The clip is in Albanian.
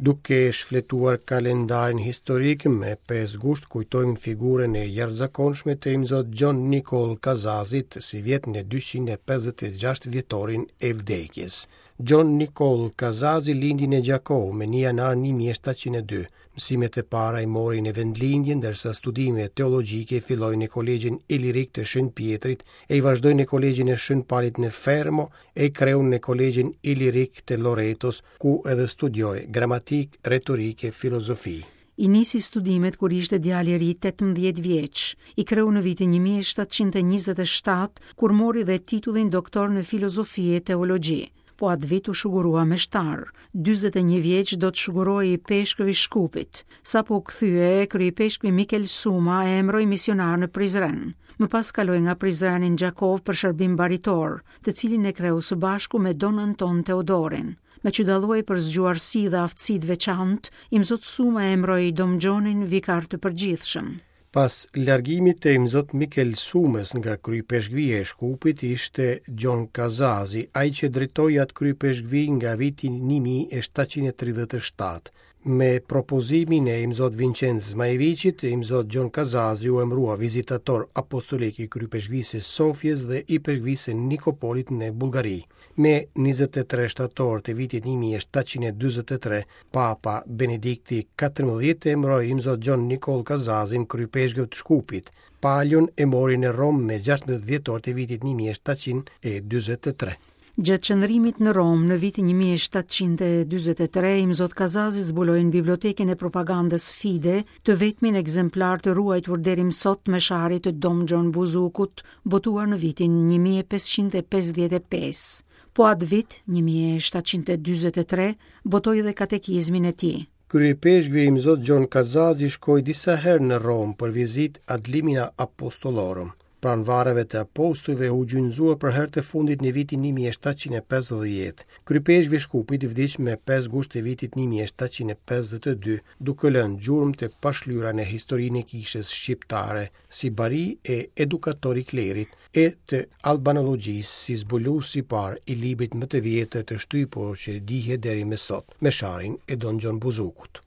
Duke shfletuar kalendarin historik me 5 gusht kujtojmë figurën e jashtëzakonshme të Imzot Gjon Nikoll Kazazit sivjet në 256 vjetorin e vdekjes. Gjon Nikoll Kazazi lindi në Gjakovë me 1 janar 1702. Mësimet e para i mori në vendlindje, ndërsa studimet teologjike filloi në Kolegjin Ilirik të Shën Pjetrit e i vazhdoi në Kolegjin e Shën Palit në Fermo e i kreu në Kolegjin Ilirik të Loretos, ku edhe studioi gramatikë, retorikë e filozofi. I nisi studimet kur ishte djalë i ri 18 vjeç. I kreu në vitin 1727, kur mori dhe titullin doktor në filozofi e teologji. Po atë vit u shugurua meshtar. 41 vjeç do të shugurohej ipeshkëv i Shkupit. Sapo u kthye, kryeipeshkvi Mikel Suma e emëroi misionar në Prizren. Më pas kaloi nga Prizreni në Gjakovë për shërbim baritor, të cilin e kreu së bashku me Don Anton Teodorin. Meqë dallohej për zgjuarsi dhe aftësi të veçantë, Imzot Suma e emëroi Dom Gjonin vikar të përgjithshëm. Pas largimit të Imzot Mikel Sumës nga Kryeipeshkvia e Shkupit ishte Gjon Kazazi, ai që drejtoi atë kryeipeshkvi nga viti 1737. Me propozimin e Imzot Vincenc Zmajeviqit, Imzot Gjon Kazazi u emërua vizitator apostolik i Kryeipeshkvisë së Sofjes dhe Ipeshkvisë së Nikopolit në Bullgari. Me 23 shtator të vitit 1743, Papa Benedikti XIV e emëroi Imzot Gjon Nikoll Kazazin kryeipeshkëv të Shkupit. Palion e mori në Romë me 16 dhjetor të vitit 1743. Gjatë qëndrimit në Romë në vitin 1743, Imzot Kazazi zbuloi në bibliotekën e propagandës Fide të vetmin ekzemplar të ruajtur deri më sot Mesharit të Dom Gjon Buzukut, botuar në vitin 1555. Po atë vit, 1743, botoi edhe katekizmin e tij. Kryeipeshkvi Imzot Gjon Kazazi shkoi disa herë në Romë për vizitë ad limina apostolorum. Pranë varreve të apostujve u gjunjëzua për herë të fundit në vitin 1750. Kryeipeshkvi i Shkupit vdiq me 5 gusht të vitit 1752, duke lënë gjurmë të pashlyera në historinë e kishës shqiptare, si bari e edukator i klerit, e të albanologjisë si zbulues i parë i librit më të vjetër të shtypur që dihet deri më sot, Mesharin e Don Gjon Buzukut.